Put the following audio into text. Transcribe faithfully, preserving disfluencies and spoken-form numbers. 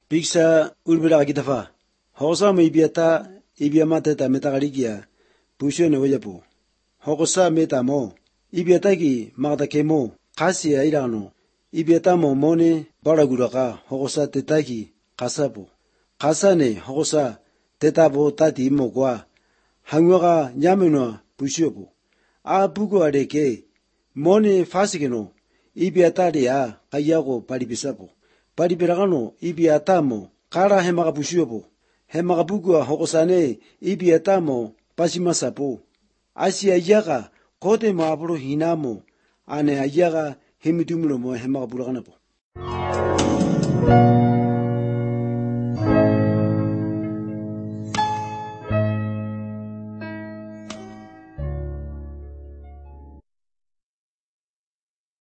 Biksa urbila agitafa. Hokosa mo ibiata ibiamate ta metagalikia pusyo ne wajapu. Hokosa meta mo ibiata ki magda kemo kasi airano. Ibiata mo mone baraguraka hokosa tetaki kasapu. Kasa ne hokosa tetabo tati imo kwa hangwaga nyamenwa pusyopu. A bugo areke mone fasikeno ibiata ria kayago palipisapu. Palipirakano ibiata mo kara hemaga pusyopu. Hemaga bugua hokosane ibiata mo pasimasapu. Asi ayaga kote mo apuro hinamo ane ayaga hemidumulo mo hemaga burakanapu.